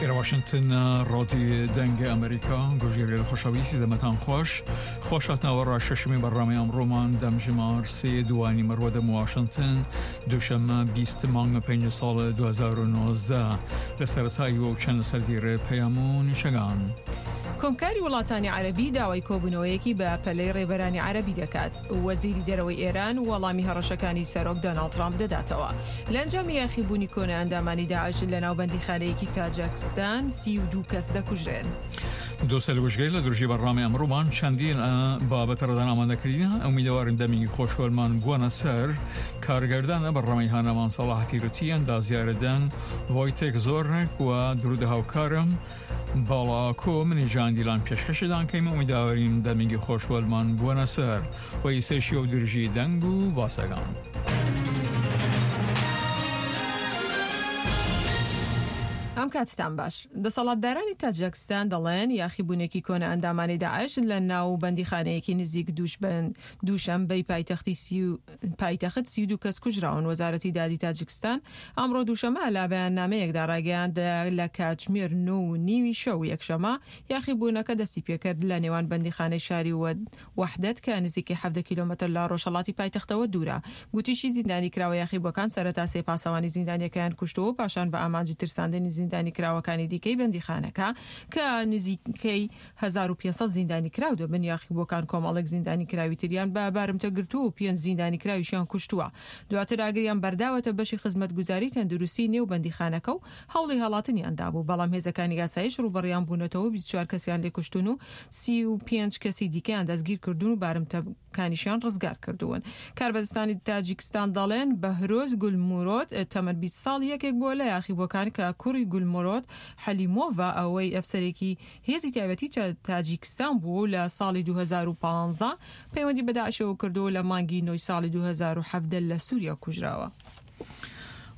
ئێرە واشنتن ڕادیۆ دەنگ ئەمریکا گۆژێرێل خۆشەویستی دەمەتان خۆش خۆش هاتنەوە ڕا شەشمی بەڕامەی ئەمڕۆمان دەمژمار سێ دوانی مەڕوە دەم واشنتن دووشەممە 20 مانگ پێنج ساڵ 2019 لە سەرەتایی و چەند لەسەر دیرێ پەیام و نیشەگان. کۆمکاری وڵاتانی عەرەبی داوای کۆبوونەوەیەکی بە پەلەی ڕێبەرانی عەرەبی دەکات. وەزیری دەرەوەی ئێران وەڵامی هەڕەشەکانی سەرۆک دۆناڵد ترامپ دەداتەوە. لە ئەنجامی یاخیبوونی کۆنە ئەندامانی داعش لەناو بەندیخانەیەکی تاجەکستان 32 کەس دەکوژرێن. دۆستە لە لە درژی بەڕامەی ئەمڕۆمان چەندین بابەتە ڕدان ئامادەکردین ئەمیدەوارن دەمی خۆشوەرمان بووەنە سەر کارگەردانە بەڕامەی هانەمان سەڵاح پیرۆتی ئەندازیارەدەن ڤۆیتێک زۆرنێک و درودە هاوکارم باڵاکۆ منی جان دیلان پێشکەشدان کەیم ئومیداوەریم دەمینگی خۆش وەلمان بووەنە سەر و ئیسەیشی و درژی دەنگ و باسەگان. ئەم کاتتان باش. دەسەڵاتدارانی تاجیکستان دەڵێن یاخیبوونێکی کۆنە ئەندامانی داعش لە ناو بەندیخانەیەکی نزیک دووشەنبەی پایتەختی پایتەخت 32 کەس کوژراون. وەزارەتی دادی تاجیکستان ئەمڕۆ دووشەمە لە بەیاننامەیەکدا ڕایگەیاند لە کاتژمێر نۆ و نیوی شەو یەکشەمە یاخیبوونەکە دەستی پێکرد لە نێوان بەندیخانەی شاری وەحدەت کە نزیکەی 17 کیلۆمەتر لە ڕۆژهەڵاتی پایتەختەوە دوورە. گوتیشی زیندانیکراوە یاخیبووەکان سەرەتا سێ پاسەوانی زیندانیەکەیان کوشتووە و پاشان بە ئامانجی ترساندنی زیندانیکراوەکانی دیکەی بەندیخانەکە کە نزیکەی 1500 زیندانیکراو دەبن، یاخیبووەکان کۆمەڵێک زیندانیکراوی تریان بە بارمتە گرتووە و پێنج زیندانیکراویشیان کوشتووە. دواتر ئاگریان بەرداوەتە بەشی خزمەتگوزاری تەندروستی نێو بەندیخانەکە و هەوڵی هەڵاتنیان دابوو، بەڵام هێزەکانی ئاسایش ڕووبەڕوویان بوونەتەوە و 24 کەسیان لێ کوشتوون و 35 کەسی دیکەیان دەستگیرکردوون و بارمتەکانیشیان ڕزگار کردوون. کاربەدەستانی تاجیکستان دەڵێن، بەهرۆز گولمورۆد تەمەن 20 ساڵ یەکێک بووە لە یاخیبووەکان کە کوڕی گولمورۆد حەلیمۆڤە ئەوەی ئەفسەرێکی هێزی تایبەتی تاجیکستان بووە و لە ساڵی 2015 پەیوەندی بە داعشەوە کردووە و لە مانگی نۆی ساڵی 2017 لە سووریا کوژراوە.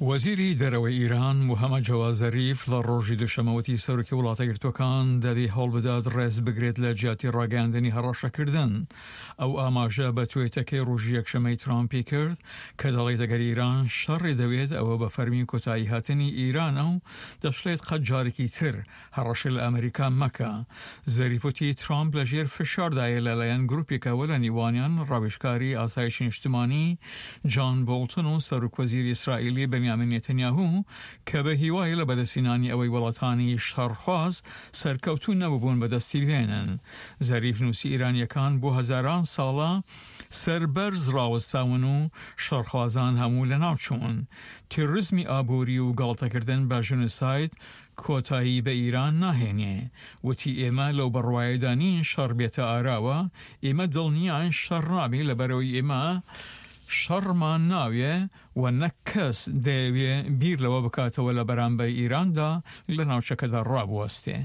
وەزیری دەرەوەی ئیران موحەمەد جەواد زەریف لە ڕۆژی دووشەممە وتی سەرۆکی وڵاتەیەکگرتووەکان دەبێ هەوڵ بدات ڕێز بگرێت لە جیاتی ڕاگەیاندنی هەڕەشەکردن. ئەو ئاماژە بە توێتەکەی ڕۆژی یەکشەممەی ترامپی کرد کە دەڵێت ئەگەر ئیران شەڕی دەوێت ئەوە بە فەرمی کۆتایی هاتنی ئیرانە و دەشڵێت قەت جارێکی تر هەڕەشە لە ئەمریکا مەکە. زەریف وتی ترامپ لە ژێر فشاردایە لەلایەن گروپێکەوە لە نیوانیان ڕاوێژکاری ئاسایشی نیشتمانی جان بۆڵتن و سەرۆکوەزیری ئیسرائیلی بنیامین نێتەنیاهو کە بە هیوایە لە بەدەستهێنانی ئەوەی وڵاتانی شەڕخواز سەرکەوتوو نەبوون بەدەستی بهێنن. زەریف نووسی ئیرانییەکان بۆ هەزاران ساڵە سەربەرز ڕاوەستاون و شەڕخوازان هەموو لەناوچوون. تیرۆریزمی ئابووری و گاڵتەکردن بە ژینۆساید کۆتایی بە ئیران ناهێنێ. وتی ئێمە لەو بڕوایەدا نین شەڕ بێتە ئاراوە، ئێمە دڵنیاین شەڕ نابێ لەبەرئەوەی ئێمە شەڕمان ناوێ و نەک کەس دەیەوێ بیر لەوە بکاتەوە لە بەرامبەر ئیراندا لە ناوچەکەدا ڕابوەستێ.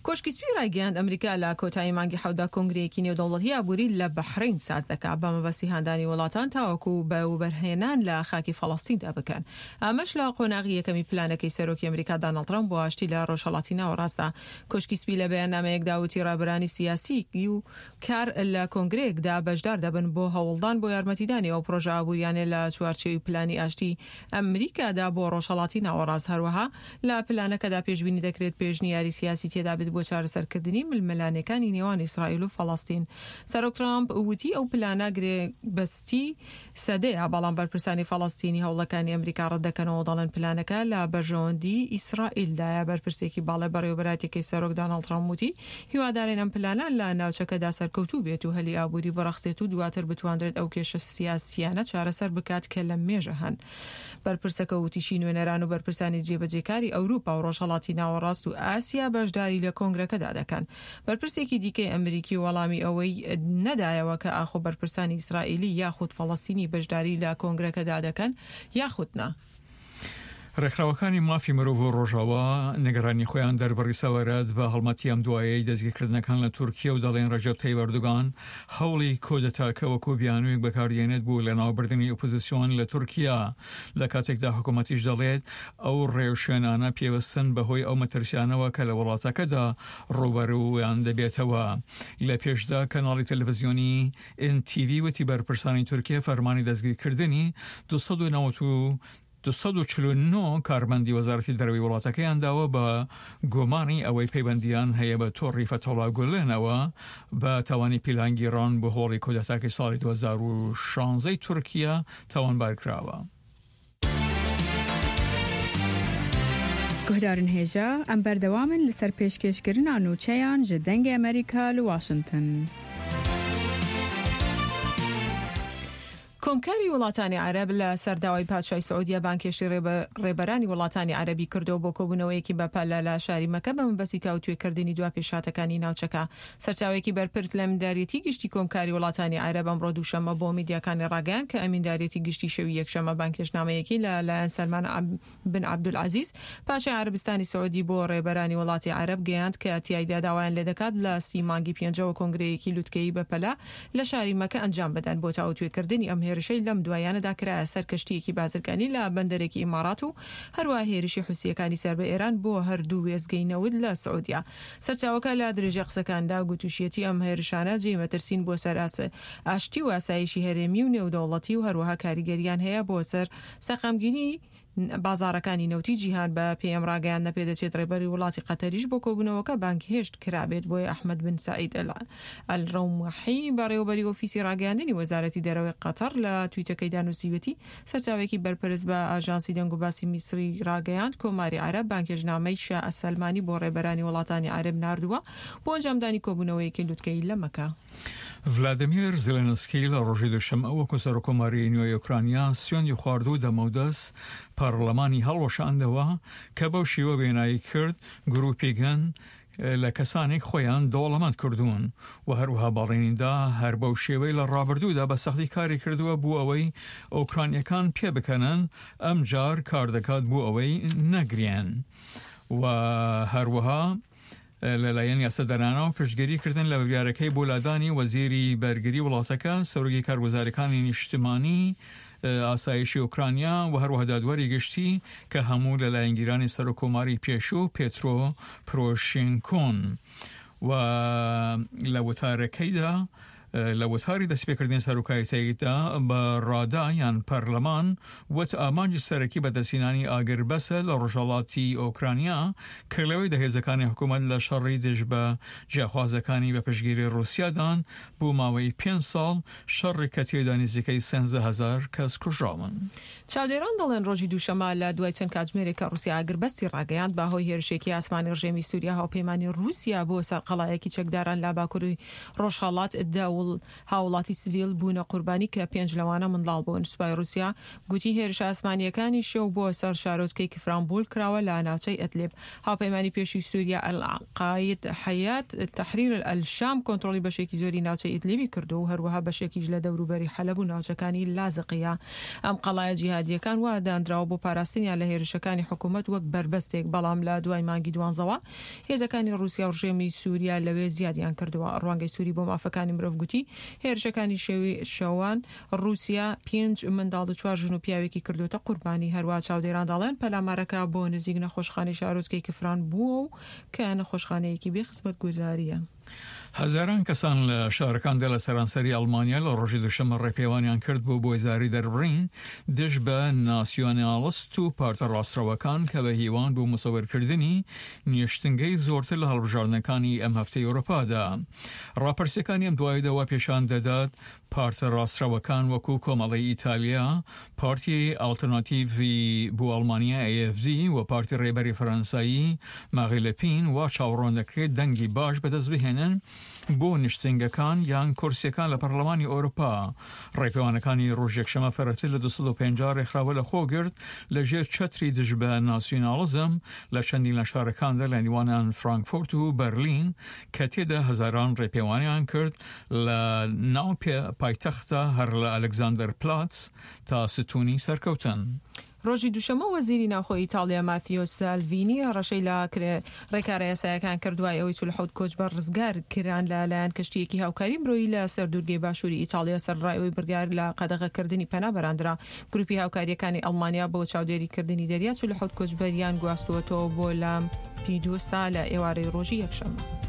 کۆشکی سپی ڕایگەیاند، ئەمریکا لە کۆتایی مانگی حەوتدا کۆنگرەیەکی نێودەوڵەتی ئابووری لە بەحرەین ساز دەکات بە مەبەستی هاندانی وڵاتان تاوەکو بە وەبەرهێنان لە خاکی فەڵەستیندا بکەن. ئەمەش لە قۆناغی یەکەمی پلانەکەی سەرۆکی ئەمریکا داناڵد ترەمپ بۆ ئاشتی لە ڕۆژهەڵاتی ناوەڕاستدا. کۆشکی سپی لە بەیاننامەیەکدا وتی ڕابەرانی سیاسیی و کار لە کۆنگرەیەکدا بەشدار دەبن بۆ هەوڵدان بۆ یارمەتیدانی ئەو پڕۆژە ئابووریانە لە چوارچێوی پلانی ئاشتی ئەمریکادا بۆ ڕۆژهەڵاتی ناوەڕاست، هەروەها لە پلانەکەدا پێشبینی دەکرێت پێشنیاری سیاسی تێدابێت بۆ چارەسەرکردنی ململانێکانی نێوان ئیسرائیل و فەڵەستین. سەرۆک ترامپ وتی ئەو پلانە گرێبەستی سەدەیە، بەڵام بەرپرسانی فەڵەستینی هەوڵەکانی ئەمریکا ڕەتدەکەنەوە و دەڵێن پلانەکە لە بەرژەوەندی ئیسرائیلدایە. بەرپرسێکی باڵای بەڕێوەبەرایەتیەکەی سەرۆک داناڵد ترامپ وتی هیوادارین ئەم پلانە لە ناوچەکەدا سەرکەوتوو بێت و هەلی ئابووری بڕەخسێت و دواتر بتواندرێت ئەو کێشە سیاسییانە چارەسەر بکات کە لە مێژە هەن. بەرپرسەکە وتیشی نوێنەران و بەرپرسانی جێبەجێکاری ئەوروپا و ڕۆژهەڵاتی ناوەڕاست و ئاسیا بەشداری لە کۆنگرەکەدا دەکەن. بەرپرسێکی دیکەی ئەمریکی وەڵامی ئەوەی نەدایەوە کە ئاخۆ بەرپرسانی ئیسرائیلی یاخود فەڵەستینی بەشداری لە کۆنگرەکەدا دەکەن یاخود نا. ڕێکخراوەکانی مافی مرۆڤ و ڕۆژاوا نیگەرانی خۆیان دەربڕی سەبارەت بە هەڵمەتی ئەم دوایەی دەستگیرکردنەکان لە تورکیە و دەڵێن ڕەجەب تەیب ئەردۆگان هەوڵی کۆدەتاکە وەکو بیانوویەک بەکاردێنێت بۆ لەناوبردنی ئۆپۆزیسیۆن لە تورکیا لە کاتێکدا حکوومەتیش دەڵێت ئەو ڕێوشوێنانە پێوەستن بەهۆی ئەو مەترسیانەوە کە لە وڵاتەکەدا ڕووبەروویان دەبێتەوە. لە پێشدا کەناڵی تەلەڤزیۆنی ئێن تی ڤی وتی بەرپرسانی تورکیا فەرمانی دەستگیرکردنی 292. 249 کارمەندی وەزارەتی دەرەوەی وڵاتەکەیان داوە بە گومانی ئەوەی پەیوەندییان هەیە بە تۆڕی فەتحوڵا گولەنەوە بە تاوانی پیلانگیڕان بۆ هۆڵی کودەتاکەی ساڵی 2016 تورکیا تاوانبار کراوە. Guhdarên hêja, em berdewam in li ser pêşkêşkirina nûçeyan ji Dengê Amerîka li Washington. کۆمکاری وڵاتانی عەرەب لە سەر داوای پادشای سعودیە بانگهێشتی ڕێبەرانی وڵاتانی عەرەبی کردەوە بۆ کۆبوونەوەیەکی بەپەلە لە شاری مەکە بە مەبەستی تاوتوێکردنی دوا پێشهاتەکانی ناوچەکە. سەرچاوەیەکی بەرپرس لە ئەمینداریەتی گشتی کۆمکاری وڵاتانی عەرەب ئەمڕۆ دووشەممە بۆ میدیاکانی ڕاگەیاند کە ئەمینداریەتی گشتی شەوی یەکشەممە بانگهێشتنامەیەکی لە لایەن سەلمان بن عەبدولعەزیز پاشای عەرەبستانی سعودی بۆ ڕێبەرانی وڵاتی عەرەب گەیاند کە تیایدا داوایان لێدەکات لە سی مانگی پێنجەوە کۆنگرەیەکی لوتکەیی بەپەلە لە شاری مەکە ئەنجام بدەن بۆ تاوتوێکردنی ئەم هێرشەی لەم دواییانەدا کرایە سەر کەشتییەکی بازرگانی لە بەندەرێکی ئیماڕات و هەروەها هێرشی حوسییەکانی سەر بە ئێران بۆ هەردوو وێستگەی نەوت لە سعودیە. سەرچاوەکە لە درێژەی قسەکاندا گوتوشیەتی ئەم هێرشانە جێی مەترسین بۆ سەر ئاشتی و ئاسایشی هەرێمی و نێودەوڵەتی و هەروەها کاریگەریان هەیە بۆ سەر سەقامگیری بازاڕەکانی نەوتی جیهان. بە پێی ئەم ڕاگەیاندنە پێدەچێت ڕێبەری وڵاتی قەتەریش بۆ کۆبوونەوەکە بانگهێشت کرابێت، بۆیە ئەحمەد بن سەعید ئەلڕەومحی بەڕێوەبەری ئۆفیسی ڕاگەیاندنی وەزارەتی دەرەوەی قەتەڕ لە تویتەکەیدا نووسیویەتی سەرچاوەیەکی بەرپرس بە ئاژانسی دەنگوباسی میسری ڕاگەیاند کۆماری عەرەب بانگهێشتنامەی شا سەلمانی بۆ ڕێبەرانی وڵاتانی عەرەب ناردووە بۆ ئەنجامدانی کۆبوونەوەیەکی لوتکەیی لە مەکە. ڤلادیمێر زێلێنسکی لە ڕۆژی دووشەممە وەکو سەرۆککۆماری نوێی ئۆکرانیا سوێندی خوارد و دەمەودەست پەڕلەمانی هەڵوەشاندەوە کە بەو شیوە وێنایی کرد گروپیگن لە کەسانێک خۆیان دەوڵەمەند کردوون و هەروەها بەڵێنیدا هەر بەو شێوەی لە ڕابردوودا بە سەختی کاری کردووە بۆ ئەوەی ئۆکرانیەکان پێبکەنن ئەمجار کار دەکات بۆ ئەوەی نەگرێن و هەروەها لەلایەن یاسادانانەوە پشتگیری کردن لە بڕیارەکەی بۆ لادانی وەزیری بەرگری وڵاتەکە، سەرۆکی کارگوزارەکانی نیشتمانی ئاسایشی ئۆکرانیا و هەروەها دادوەری گشتی کە هەموو لە لایەنگیرانی سەرۆککۆماری پێشوو پێترۆ پرۆشینکۆن و لە وتارەکەیدا لە وتاری دەستپێکردنی سەرۆکایەتیدا بە ڕادا یان پەرلەمان وت ئامانجی سەرەکی بەدەستهێنانی ئاگربەسە لە ڕۆژهەڵاتی ئۆکرانیا کە لەوێدا هێزەکانی حکوومەت لە شەڕی دژ بە جیاخوازەکانی بە پشتگیری ڕووسیادان بۆ ماوەی پێنج ساڵ، شەڕێک کە تێیدا نزیکەی 13,000 کەس کوژراون. چاودێران دەڵێن ڕۆژی دووشەممە لە دوای چەند کاتژمێرێک کە ڕووسیا ئاگربەستی ڕاگەیاند بە هۆی هێرشێکی ئاسمانی ڕژێمی سووریا هاوپەیمانی ڕووسیا بۆ سەر قەڵایەکی چەکداران لە باکووری ڕۆژهەڵات دە هاوڵاتی سڤیل بوونە قوربانی کە پێنج لەوانە منداڵ بوون. سوپای ڕووسیا گوتی هێرشە ئاسمانییەکانی شەو بۆ سەر شارۆچکەی کفرانبول کراوە لە ناوچەی ئەدلیب. هاوپەیمانی پێشووی سووریا ئەلقاید حەیات تەحریر ئەلشام کۆنترۆڵی بەشێکی زۆری ناوچەی ئیدلیبی کردووە و هەروەها بەشێکیش لە دەوروبەری حەلەب و ناوچەکانی لازقیە. ئەم قەڵایە جیهادییەکان وا دانراوە بۆ پاراستنیان لە هێرشەکانی حکوومەت وەک بەربەستێک، بەڵام لە دوای مانگی دوانزەوە هێزەکانی ڕووسیا و ڕژێمی سووریا لەوێ زیادیان کردووە. ڕوانگەی سووری بۆ مافەکانی مرۆڤ گوتی، هێرشەکانی شەوی شەوان ڕووسیا پێنج منداڵ و چوار ژن و پیاوێکی کردووەتە قوربانی. هەروەها چاودێران دەڵێن پەلامارەکە بۆ نزیک نەخۆشخانەی شارۆچکەی کفران بووە و کە نەخۆشخانەیەکی بێ خزمەتگوزارییە. هەزاران کەسان لە شارەکاندا لە سەرانسەری ئەڵمانیا لە ڕۆژی دووشەممە ڕێپێوانیان کرد بۆ بۆیزاری دەربڕین دژ بە ناسیۆناڵست و پارتە ڕاستڕەوەکان کە بە هیوان بۆ مسۆگەرکردنی نیشتنگەی زۆرتر لە هەڵبژاردنەکانی ئەم هەفتەی ئەوروپادا. ڕاپرسیەکانی ئەم دوایەدا وا پێشان دەدات پارتە ڕاستڕەوەکان وەکو کۆمەڵەی ئیتالیا، پارتی ئاڵتەرناتیڤی بۆ ئەڵمانیا AFD و پارتی ڕێبەری فەرەنسایی ماغی لەپین وا چاوەڕوان دەکرێت دەنگی باش بەدەست بهێنن بۆ نیشتنگەکان یان کورسیەکان لە پەرلەمانی ئەوروپا. ڕێپێوانەکانی ڕۆژ یەکشەمە فەرەتر لە 250 ڕێکخراوە لەخۆ گرت لە ژێر چەتری دژ بە ناسیوناڵزم لە چەندین لە شارەکاندا لە نێوانیان فرانکفۆرت و بەرلین کە تێدا هەزاران ڕێپێوانیان کرد لە ناو پایتەختە هەر لە ئەلکزاندەر پلاتس تا ستونی سەرکەوتن. ڕۆژی دووشەممە وەزیری ناوخۆی ئیتاڵیا ماتیۆ سالڤینی هەڕەشەی لە ڕێکارە یاسایەکان کرد دوای ئەوەی 47 کۆچبەر ڕزگار کران لە لایەن کەشتییەکی هاوکاری مرۆیی لە سەر دوورگەی باشووری ئیتاڵیا سەرەڕای ئەوەی بڕیار لە قەدەغەکردنی پەنابەران درا. گروپی هاوکارییەکانی ئەڵمانیا بۆ چاودێریکردنی دەریا 47 کۆچبەریان گواستووەتەوە بۆ لامپیدوسا لە ئێوارەی ڕۆژی یەکشەممە.